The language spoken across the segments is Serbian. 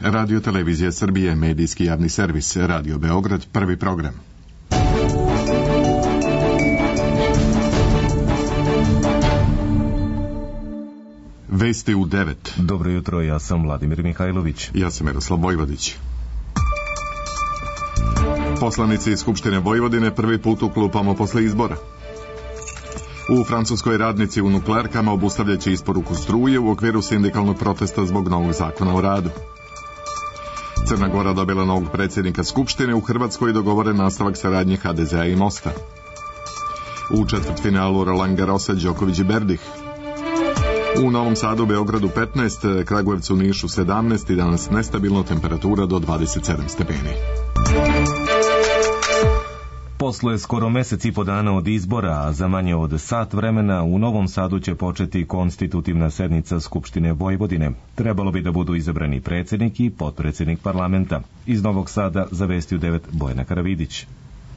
Radio Televizija Srbije, medijski javni servis, Radio Beograd, prvi program. Vesti u 9. Dobro jutro, ja sam Vladimir Mihajlović. Ja sam Miroslav Vojvodić. Poslanici Skupštine Vojvodine prvi put u klupama posle izbora. U Francuskoj radnici u nuklearkama obustavljaće isporuku struje u okviru sindikalnog protesta zbog novog zakona o radu. Crna Gora dobila novog predsjednika Skupštine, u Hrvatskoj dogovoren nastavak saradnje HDZ-a i Mosta. U četvrtfinalu Roland Garrosa Đoković i Berdih. U Novom Sadu, Beogradu 15, Kragujevcu, Nišu 17 i danas nestabilna temperatura do 27 stepeni. Posle skoro mesec i po dana od izbora, a za manje od sat vremena, u Novom Sadu će početi konstitutivna sednica Skupštine Vojvodine. Trebalo bi da budu izabrani predsjednik i potpredsjednik parlamenta. Iz Novog Sada za Vesti u 9 Bojana Karavidić.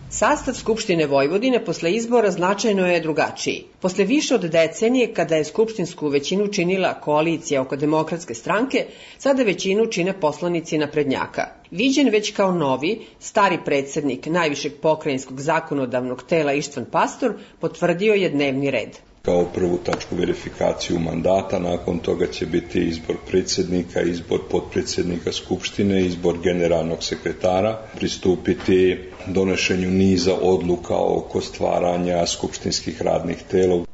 Sastav Skupštine Vojvodine posle izbora značajno je drugačiji. Posle više od decenije, kada je skupštinsku većinu činila koalicija oko Demokratske stranke, sada većinu čine poslanici naprednjaka. Viđen već kao novi, stari predsjednik najvišeg pokrajinskog zakonodavnog tela Ištvan Pastor potvrdio je dnevni red. Kao prvu tačku verifikaciju mandata, nakon toga će biti izbor predsjednika, izbor potpredsjednika Skupštine, izbor generalnog sekretara, pristupiti donošenju niza odluka oko stvaranja skupštinskih radnih tela.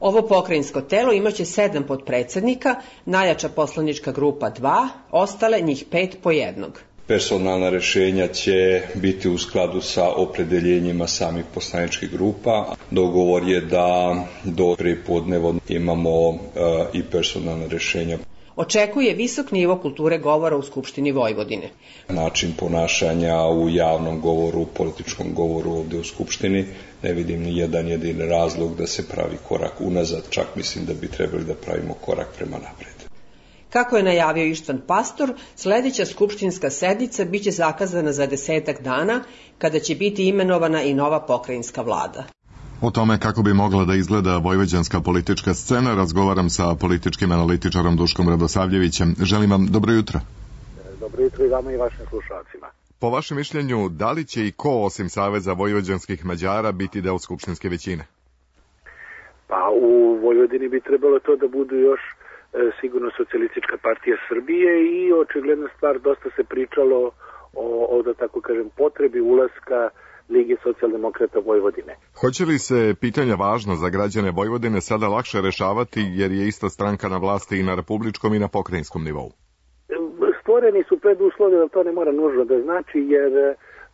Ovo pokrajinsko telo imaće 7 potpredsjednika, najjača poslanička grupa 2, ostale njih 5 po jednog. Personalna rješenja će biti u skladu sa opredeljenjima samih poslaničkih grupa. Dogovor je da do prepodneva imamo i personalna rješenja. Očekuje visok nivo kulture govora u Skupštini Vojvodine. Način ponašanja u javnom govoru, u političkom govoru ovdje u Skupštini, ne vidim ni jedan jedini razlog da se pravi korak unazad, čak mislim da bi trebali da pravimo korak prema napred. Kako je najavio Ištvan Pastor, sljedeća skupštinska sednica biće zakazana za 10 dana, kada će biti imenovana i nova pokrajinska vlada. O tome kako bi mogla da izgleda vojvođanska politička scena razgovaram sa političkim analitičarom Duškom Radosavljevićem. Želim vam dobro jutro. Dobro jutro i vama i vašim slušalcima. Po vašem mišljenju, da li će i ko osim Saveza vojvođanskih Mađara biti deo skupštinske većine? Pa u Vojvodini bi trebalo to da budu još sigurno Socijalistička partija Srbije i očigledna stvar, dosta se pričalo o da tako kažem, potrebi ulaska Lige socijaldemokrata Vojvodine. Hoće li se pitanja važna za građane Vojvodine sada lakše rešavati jer je ista stranka na vlasti i na republičkom i na pokrajinskom nivou? Stvoreni su preduslovi, da to ne mora nužno da znači, jer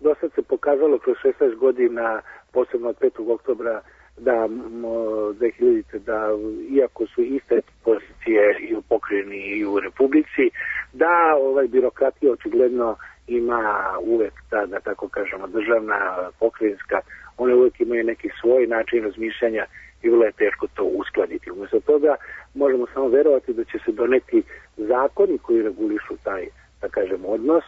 do sad se pokazalo kroz 16 godina, posebno od 5. oktobra, da 2000. da iako su iste pozicije i u pokrajini i u republici, da birokratija očigledno ima uvek ta, da tako kažemo, državna, pokrajinska, one uvek imaju neki svoj način razmišljanja i vrlo je teško to uskladiti. Umjesto toga možemo samo verovati da će se doneti zakoni koji regulišu taj, da kažemo, odnos,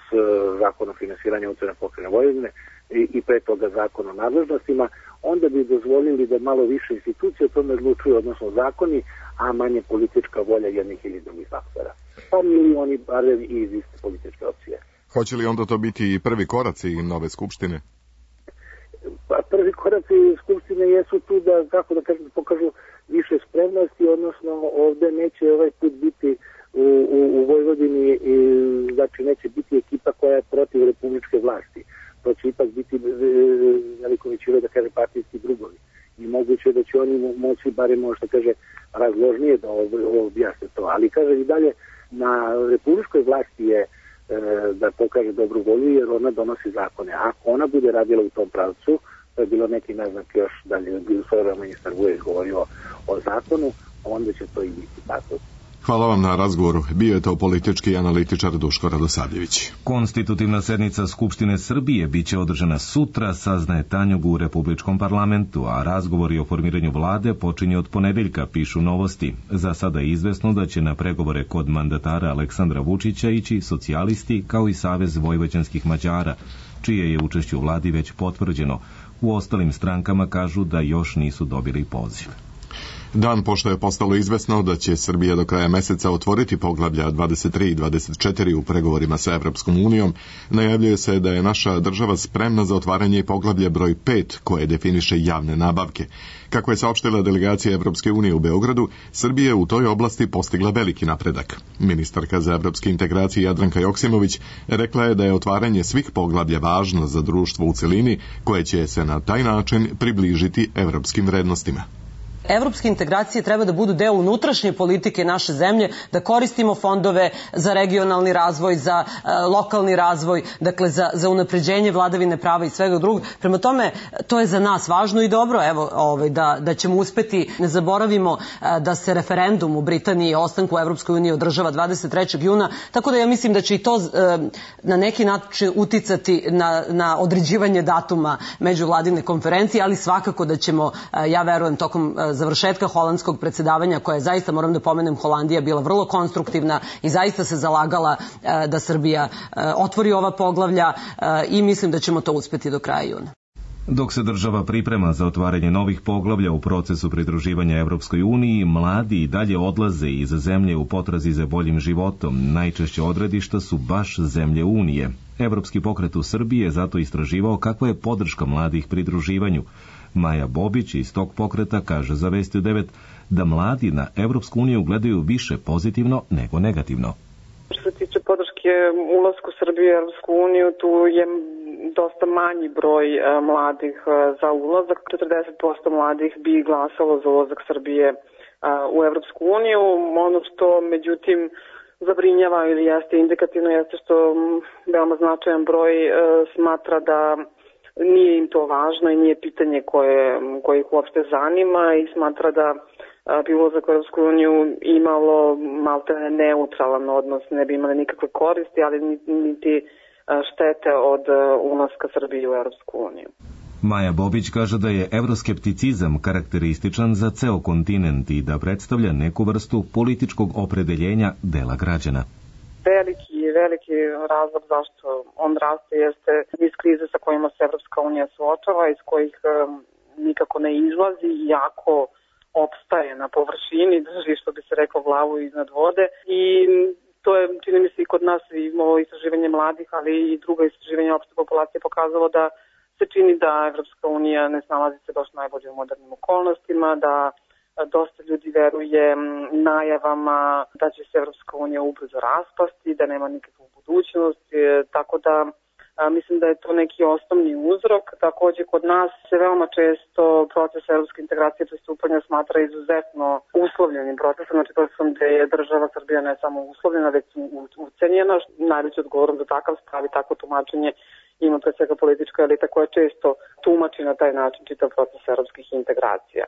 zakon o finansiranju autonomne pokrajine Vojvodine i pre toga zakon o nadležnostima, onda bi dozvolili da malo više institucije o tome odlučuju, odnosno zakoni, a manje politička volja jednih ili drugih faktora. Pa milioni barem i iz iste političke opcije. Hoće li onda to biti i prvi koraci nove skupštine? Pa prvi koraci skupštine jesu tu da, kako da kažem, pokažu više spremnosti, odnosno ovde neće ovaj put biti u Vojvodini, znači neće biti ekipa koja je protiv republičke vlasti. To će ipak biti veliko većino, da kaže, partijski drugovi. I moguće da će oni moći, barem možda kaže, razložnije da objasne to. Ali kaže i dalje, na republičkoj vlasti je da pokaže dobru volju, jer ona donosi zakone. Ako ona bude radila u tom pravcu, to je bilo neki naznak još dalje, svoje ministar Vujić govorio o zakonu, onda će to i biti tako. Hvala vam na razgovoru. Bio je to politički analitičar Duško Radosavljević. Konstitutivna sednica Skupštine Srbije biće održana sutra, saznaje Tanjug u Republičkom parlamentu, a razgovori o formiranju vlade počinje od ponedeljka, pišu Novosti. Za sada je izvesno da će na pregovore kod mandatara Aleksandra Vučića ići socijalisti kao i Savez vojvođanskih Mađara, čije je učešće u vladi već potvrđeno. U ostalim strankama kažu da još nisu dobili poziv. Dan pošto je postalo izvesno da će Srbija do kraja meseca otvoriti poglavlja 23 i 24 u pregovorima sa Evropskom unijom, najavljuje se da je naša država spremna za otvaranje poglavlja broj 5 koje definiše javne nabavke. Kako je saopštila delegacija Evropske unije u Beogradu, Srbija je u toj oblasti postigla veliki napredak. Ministarka za evropske integracije Jadranka Joksimović rekla je da je otvaranje svih poglavlja važno za društvo u celini koje će se na taj način približiti evropskim vrednostima. Evropske integracije treba da budu deo unutrašnje politike naše zemlje, da koristimo fondove za regionalni razvoj, za lokalni razvoj, dakle za unapređenje vladavine prava i svega drugog. Prema tome, to je za nas važno i dobro, da ćemo uspeti, ne zaboravimo da se referendum u Britaniji o ostanku u Evropskoj uniji održava 23. juna, tako da ja mislim da će i to na neki način uticati na određivanje datuma međuvladine konferencije, ali svakako da ćemo, ja verujem, tokom završetka holandskog predsjedavanja, koja je zaista, moram da pomenem, Holandija bila vrlo konstruktivna i zaista se zalagala da Srbija otvori ova poglavlja i mislim da ćemo to uspeti do kraja juna. Dok se država priprema za otvaranje novih poglavlja u procesu pridruživanja Evropskoj uniji, mladi i dalje odlaze iz zemlje u potrazi za boljim životom. Najčešće odredišta su baš zemlje Unije. Evropski pokret u Srbiji je zato istraživao kakva je podrška mladih pridruživanju. Maja Bobić iz tog pokreta kaže za Vesti 9 da mladi na Evropsku uniju gledaju više pozitivno nego negativno. Što se tiče podrške ulasku Srbije u Evropsku uniju, tu je dosta manji broj mladih za ulazak. 40% mladih bi glasalo za ulazak Srbije u Evropsku uniju. Ono što međutim zabrinjava ili jeste indikativno jeste što veoma značajan broj smatra da nije im to važno i nije pitanje koje ih uopšte zanima i smatra da bi ulazak u Evropsku uniju imalo maltene neutralan odnos, ne bi imali nikakve koristi, ali niti štete od ulaska Srbije u Evropsku uniju. Maja Bobić kaže da je evroskepticizam karakterističan za ceo kontinent i da predstavlja neku vrstu političkog opredeljenja dela građana. Veliki razlog zašto on raste jeste iz krize sa kojima se Evropska unija suočava, iz kojih nikako ne izlazi, iako opstaje na površini, drži, što bi se reklo, glavu iznad vode. I to je, čini mi se, i kod nas imamo istraživanje mladih, ali i druga istraživanja opšte populacije pokazalo da se čini da Evropska unija ne snalazi se baš najbolje u modernim okolnostima, da dosta ljudi veruje najavama da će se Evropska unija ubrzo raspasti, da nema nikakvu budućnost, tako da mislim da je to neki osnovni uzrok. Također kod nas se veoma često proces evropske integracije pristupanja smatra izuzetno uslovljenim procesom, znači procesom gde je država Srbija ne samo uslovljena, već ucenjena. Najveći odgovorom za takav stav i takvo tumačenje ima pre svega politička elita koja često tumači na taj način čitav proces evropskih integracija.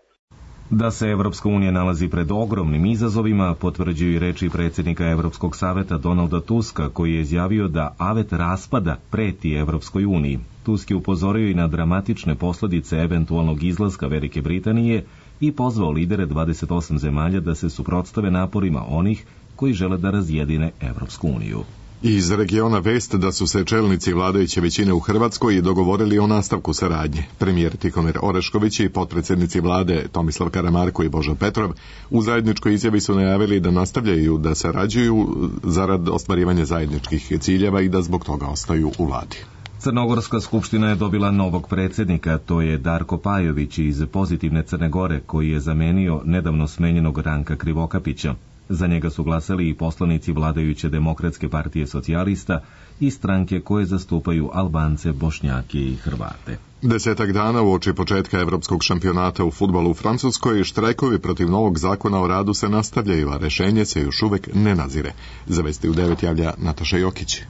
Da se Evropska unija nalazi pred ogromnim izazovima, potvrđuju i reči predsjednika Evropskog saveta Donalda Tuska, koji je izjavio da avet raspada preti Evropskoj uniji. Tusk je upozorio i na dramatične posljedice eventualnog izlaska Velike Britanije i pozvao lidere 28 zemalja da se suprotstave naporima onih koji žele da razjedine Evropsku uniju. Iz regiona vest da su se čelnici vladajuće većine u Hrvatskoj dogovorili o nastavku saradnje. Premijer Tihomir Orešković i potpredsjednici vlade Tomislav Karamarko i Božo Petrov u zajedničkoj izjavi su najavili da nastavljaju da sarađuju zarad ostvarivanja zajedničkih ciljeva i da zbog toga ostaju u vladi. Crnogorska skupština je dobila novog predsjednika, to je Darko Pajović iz Pozitivne Crne Gore, koji je zamenio nedavno smenjenog Ranka Krivokapića. Za njega su glasali i poslanici vladajuće Demokratske partije socijalista i stranke koje zastupaju Albance, Bošnjake i Hrvate. 10 dana uoči početka evropskog šampionata u fudbalu u Francuskoj, štrajkovi protiv novog zakona o radu se nastavljaju, a rešenje se još uvek ne nazire. Za Vesti u 9 javlja Nataša Jokić.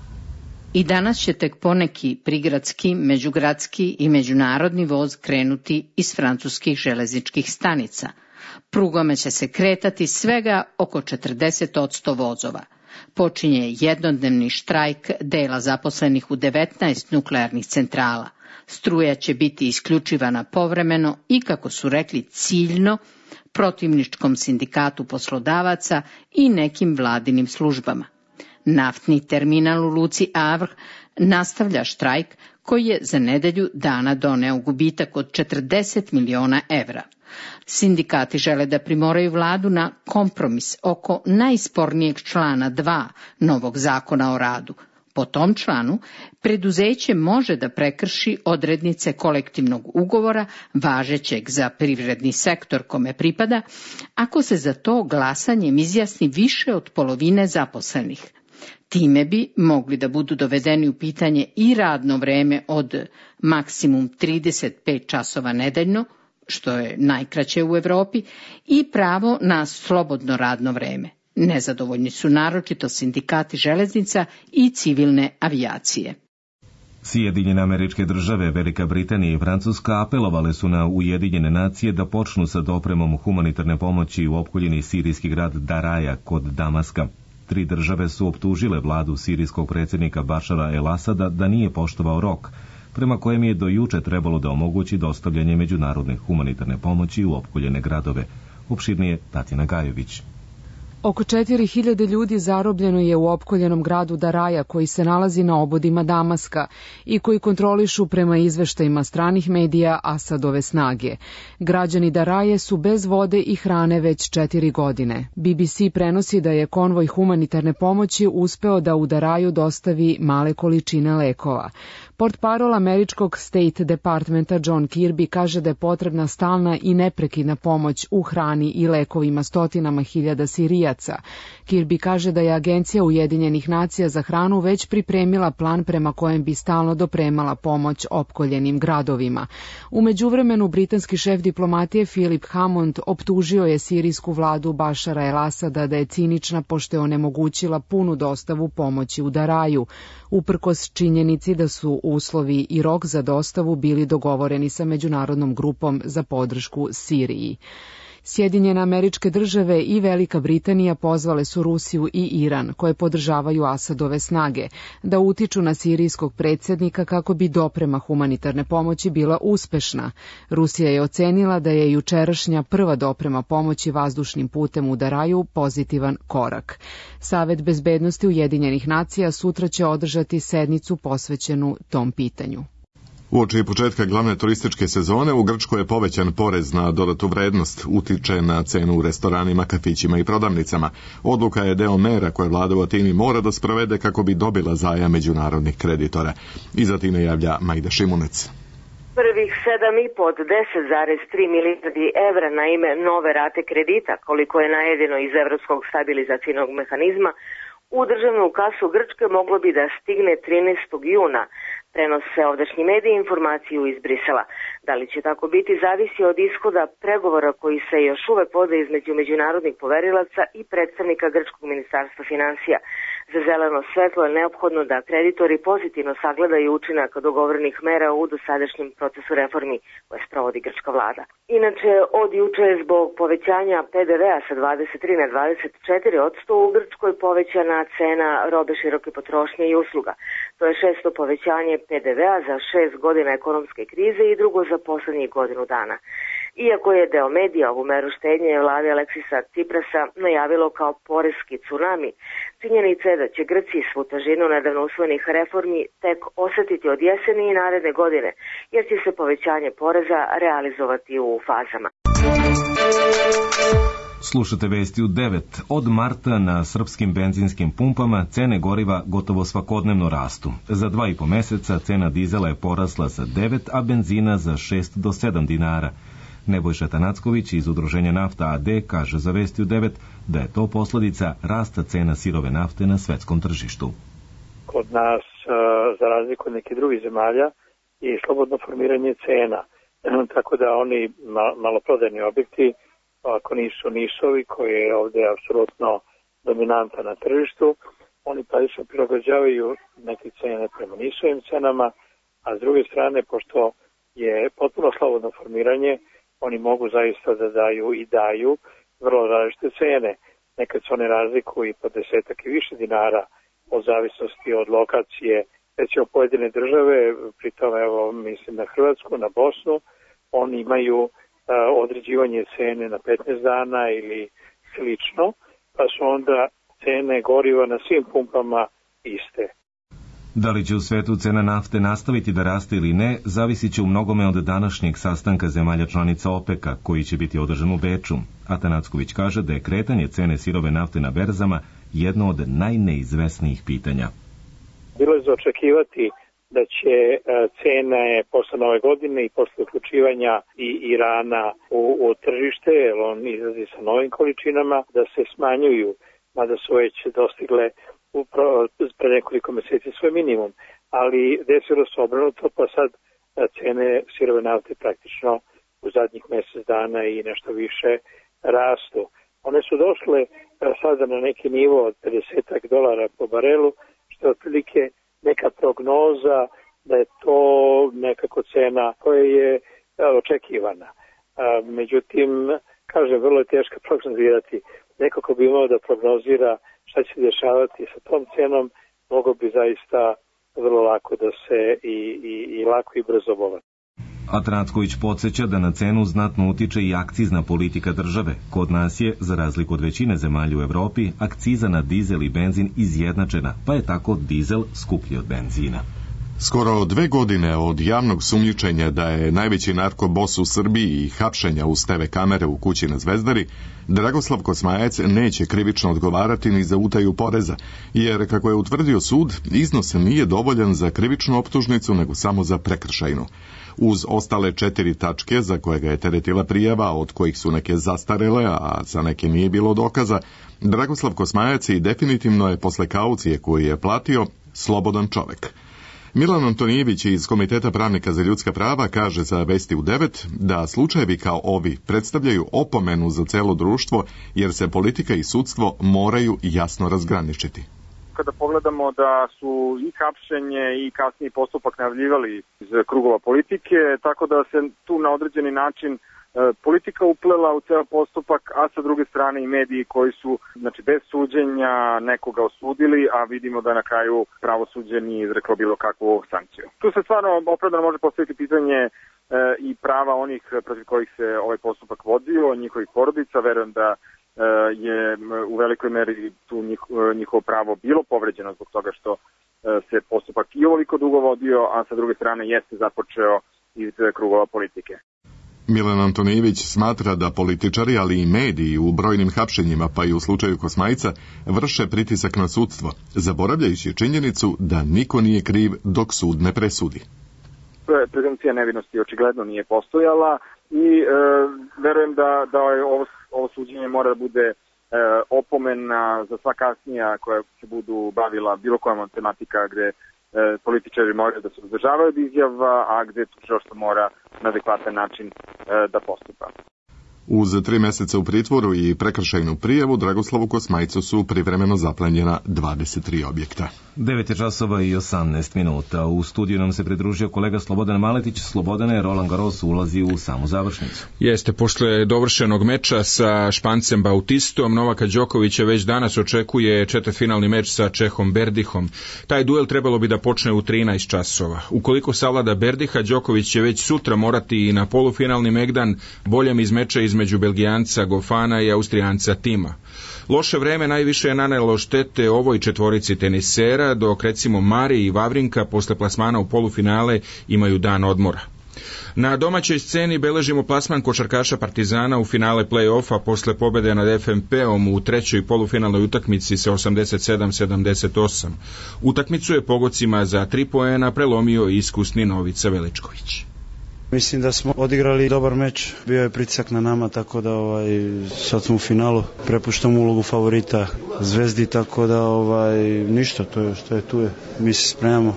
I danas će tek poneki prigradski, međugradski i međunarodni voz krenuti iz francuskih železničkih stanica. Prugome će se kretati svega oko 40% vozova. Počinje jednodnevni štrajk dela zaposlenih u 19 nuklearnih centrala. Struja će biti isključivana povremeno i, kako su rekli, ciljno protivničkom sindikatu poslodavaca i nekim vladinim službama. Naftni terminal u luci Havre nastavlja štrajk koji je za nedelju dana doneo gubitak od 40 miliona evra. Sindikati žele da primoraju vladu na kompromis oko najspornijeg člana 2 novog zakona o radu. Po tom članu, preduzeće može da prekrši odrednice kolektivnog ugovora važećeg za privredni sektor kome pripada, ako se za to glasanjem izjasni više od polovine zaposlenih. Time bi mogli da budu dovedeni u pitanje i radno vreme od maksimum 35 časova nedeljno, što je najkraće u Evropi, i pravo na slobodno radno vreme. Nezadovoljni su naročito sindikati železnica i civilne avijacije. Sjedinjene Američke Države, Velika Britanija i Francuska apelovale su na Ujedinjene nacije da počnu sa dopremom humanitarne pomoći u opkoljeni sirijski grad Daraja kod Damaska. 3 države su optužile vladu sirijskog predsjednika Bašara el-Asada da nije poštovao rok, prema kojem je do juče trebalo da omogući dostavljanje međunarodne humanitarne pomoći u opkoljene gradove. Opširnije Tatjana Gajović. Oko 4000 ljudi zarobljeno je u opkoljenom gradu Daraja koji se nalazi na obodima Damaska i koji kontrolišu prema izveštajima stranih medija Asadove snage. Građani Daraje su bez vode i hrane već 4 godine. BBC prenosi da je konvoj humanitarne pomoći uspeo da u Daraju dostavi male količine lekova. Portparol američkog State Departmenta John Kirby kaže da je potrebna stalna i neprekidna pomoć u hrani i lekovima stotinama hiljada Sirijaca. Kirby kaže da je Agencija Ujedinjenih nacija za hranu već pripremila plan prema kojem bi stalno dopremala pomoć opkoljenim gradovima. U međuvremenu, britanski šef diplomatije Philip Hammond optužio je sirijsku vladu Bašara el-Asada da je cinična pošto je onemogućila punu dostavu pomoći u Daraju, uprkos činjenici da su uslovi i rok za dostavu bili dogovoreni sa međunarodnom grupom za podršku Siriji. Sjedinjene Američke Države i Velika Britanija pozvale su Rusiju i Iran, koje podržavaju Asadove snage, da utiču na sirijskog predsjednika kako bi doprema humanitarne pomoći bila uspešna. Rusija je ocenila da je jučerašnja prva doprema pomoći vazdušnim putem u Daraju pozitivan korak. Savet bezbednosti Ujedinjenih nacija sutra će održati sednicu posvećenu tom pitanju. Uoči početka glavne turističke sezone u Grčkoj je povećan porez na dodatu vrednost, utiče na cenu u restoranima, kafićima i prodavnicama. Odluka je deo mera koje vlada u Atini mora da sprovede kako bi dobila zajam međunarodnih kreditora. Iz Atine javlja Majda Šimunec. Prvih 7,5 od 10,3 milijardi evra na ime nove rate kredita, koliko je najavljeno iz Evropskog stabilizacijnog mehanizma, u državnu kasu Grčke moglo bi da stigne 13. juna. Prenose ovdašnji mediji informaciju iz Brisela. Da li će tako biti zavisi od ishoda pregovora koji se još uvek vode između međunarodnih poverilaca i predstavnika Grčkog ministarstva finansija. Za zeleno svetlo je neophodno da kreditori pozitivno sagledaju učinak dogovorenih mera u dosadašnjem procesu reformi koje sprovodi grčka vlada. Inače, od juče zbog povećanja PDV-a sa 23 na 24% u Grčkoj povećana cena robe široke potrošnje i usluga. To je 600 povećanje PDV-a za 6 godina ekonomske krize i drugo za poslednjih godinu dana. Iako je deo medija ovu meru štednje vlade Aleksisa Ciprasa najavilo kao poreski tsunami, činjenica je da će Grci svu težinu nedavno usvojenih reformi tek osetiti od jeseni i naredne godine, jer će se povećanje poreza realizovati u fazama. Slušate vesti u 9. Od marta na srpskim benzinskim pumpama cene goriva gotovo svakodnevno rastu. Za 2,5 meseca cena dizela je porasla sa 9, a benzina za 6 do 7 dinara. Nebojša Tanacković iz Udruženja Nafta AD kaže za vesti u 9 da je to posledica rasta cena sirove nafte na svetskom tržištu. Kod nas, za razliku od nekih drugih zemalja, je slobodno formiranje cena. Tako da oni maloprodajni objekti, ako nisu nišovi, koji je ovdje apsolutno dominanta na tržištu, oni praktično prilagođavaju neke cene prema nišovim cenama, a s druge strane, pošto je potpuno slobodno formiranje, oni mogu zaista da daju vrlo različite cene. Nekad se one razlikuju i po 10 i više dinara od zavisnosti od lokacije, recimo pojedine države, pritom evo mislim na Hrvatsku, na Bosnu, oni imaju određivanje cene na 15 dana ili slično, pa su onda cene goriva na svim pumpama iste. Da li će u svetu cena nafte nastaviti da raste ili ne, zavisit će u mnogome od današnjeg sastanka zemalja članica OPEC-a, koji će biti održan u Beču. Atanacković kaže da je kretanje cene sirove nafte na berzama jedno od najneizvesnijih pitanja. Bilo je za očekivati da će cene posle nove godine i posle uključivanja i Irana u tržište, jer on izlazi sa novim količinama, da se smanjuju, mada su već dostigle pre nekoliko meseci svoj minimum. Ali desilo se obrnuto, pa sad cene sirove nafte praktično u zadnjih mesec dana i nešto više rastu. One su došle sada na neki nivo od $50 po barelu, što je otprilike neka prognoza da je to nekako cena koja je očekivana. Međutim, kažem, vrlo je teško prognozirati. Neko ko bi imao da prognozira šta će se dešavati sa tom cenom, mogo bi zaista vrlo lako da se i lako i brzo obova. Atanacković podsjeća da na cenu znatno utiče i akcizna politika države. Kod nas je, za razliku od većine zemalja u Evropi, akciza na dizel i benzin izjednačena, pa je tako dizel skuplji od benzina. Skoro 2 godine od javnog sumnjičenja da je najveći narkobos u Srbiji i hapšenja uz TV kamere u kući na Zvezdari, Dragoslav Kosmajac neće krivično odgovarati ni za utaju poreza, jer, kako je utvrdio sud, iznos nije dovoljan za krivičnu optužnicu, nego samo za prekršajnu. Uz ostale 4 tačke za koje ga je teretila prijava, od kojih su neke zastarele, a za neke nije bilo dokaza, Dragoslav Kosmajac i definitivno je posle kaucije koju je platio slobodan čovek. Milan Antonijević iz Komiteta pravnika za ljudska prava kaže za Vesti u 9 da slučajevi kao ovi predstavljaju opomenu za celo društvo, jer se politika i sudstvo moraju jasno razgraničiti. Kada pogledamo da su i hapšenje i kasniji postupak najavljivali iz krugova politike, tako da se tu na određeni način politika uplela u ceo postupak, a sa druge strane i mediji koji su, znači, bez suđenja nekoga osudili, a vidimo da na kraju pravosuđe nije izreklo bilo kakvu sankciju. Tu se stvarno opravdano može postaviti pitanje i prava onih protiv kojih se ovaj postupak vodio, njihovih porodica. Verujem da je u velikoj meri tu njihovo pravo bilo povređeno zbog toga što se postupak i ovoliko dugo vodio, a sa druge strane jeste započeo iz krugova politike. Milan Antonijević smatra da političari, ali i mediji u brojnim hapšenjima, pa i u slučaju Kosmajca, vrše pritisak na sudstvo, zaboravljajući činjenicu da niko nije kriv dok sud ne presudi. Prezumcija nevinosti očigledno nije postojala i verujem da ovo suđenje mora da bude opomena za sva kasnija koja se budu bavila bilo kojom tematika gde političari moraju da se uzdržavaju od izjava, a gde tužilaštvo mora na adekvatan način da postupa. Uz 3 meseca u pritvoru i prekršajnu prijavu Dragoslavu Kosmajcu su privremeno zaplenjena 23 objekta. 9:18. U studiju nam se pridružio kolega Slobodan Maletić. Slobodane, Roland Garros ulazi u samu završnicu. Jeste, posle dovršenog meča sa Špancem Bautistom, Novaka Đokovića već danas očekuje četvrtfinalni meč sa Čehom Berdihom. Taj duel trebalo bi da počne u 13 časova. Ukoliko savlada Berdiha, Đoković će već sutra morati i na polufinalni megdan, boljem iz meča između Belgijanca Gofana i Austrijanca Tima. Loše vreme najviše je nanelo štete ovoj četvorici tenisera, dok recimo Mari i Vavrinka posle plasmana u polufinale imaju dan odmora. Na domaćoj sceni beležimo plasman košarkaša Partizana u finale play-offa posle pobede nad FNP-om u trećoj polufinalnoj utakmici sa 87-78. Utakmicu je pogodcima za 3 poena prelomio iskusni Novica Veličković. Mislim da smo odigrali dobar meč, bio je pritisak na nama, tako da sad smo u finalu, prepuštamo ulogu favorita Zvezdi, tako da ništa, to je što je tu je. Mi se spremamo,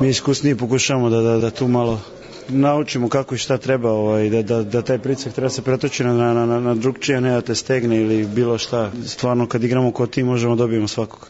mi iskusniji pokušamo da tu malo naučimo kako i šta treba, da taj pritisak treba se pretoči na drugčije, ne da te stegne ili bilo šta. Stvarno kad igramo kao tim možemo dobijemo svakog.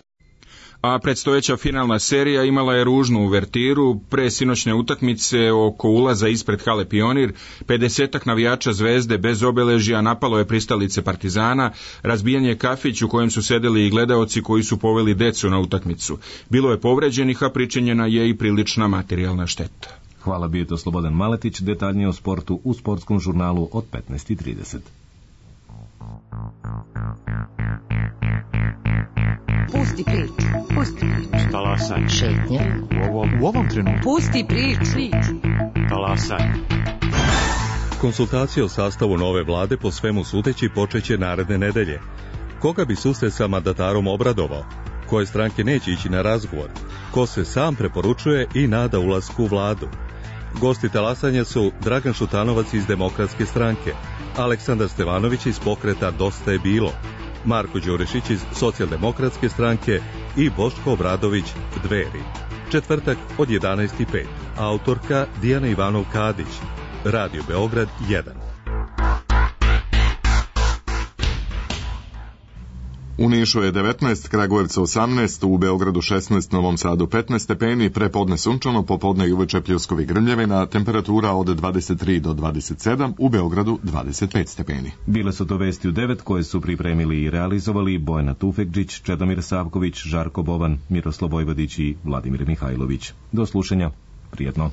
A predstojeća finalna serija imala je ružnu uvertiru. Pre sinoćne utakmice oko ulaza ispred hale Pionir, 50-ak navijača Zvezde bez obeležja napalo je pristalice Partizana, razbijen je kafić u kojem su sedeli i gledaoci koji su poveli decu na utakmicu. Bilo je povređenih, a pričinjena je i prilična materijalna šteta. Hvala, bio to Slobodan Maletić, detaljnije o sportu u sportskom žurnalu od 15:30. Pusti priču. Pusti priču. Talasaj. Šetnja. U ovom trenutku. Pusti priču. Talasaj. Konsultacije o sastavu nove vlade po svemu sudeći počeće naredne nedelje. Koga bi susret sa mandatarom obradovao? Koje stranke neće ići na razgovor? Ko se sam preporučuje i nada ulasku u vladu? Gosti talasanja su Dragan Šutanovac iz Demokratske stranke, Aleksandar Stevanović iz pokreta Dosta je bilo, Marko Đurešić iz Socijaldemokratske stranke i Boško Obradović Dveri. Četvrtak od 11:05. Autorka Dijana Ivanov-Kadić. Radio Beograd 1. U Nišu je 19, Kragujevca 18, u Beogradu 16, Novom Sadu 15 stepeni, prepodne sunčano, popodne i uveče pljuskovi grmljavina, temperatura od 23 do 27, u Beogradu 25 stepeni. Bile su to vesti u 9 koje su pripremili i realizovali Bojana Tufekđić, Čedomir Savković, Žarko Bovan, Miroslav Vojvodić i Vladimir Mihajlović. Do slušanja, prijetno.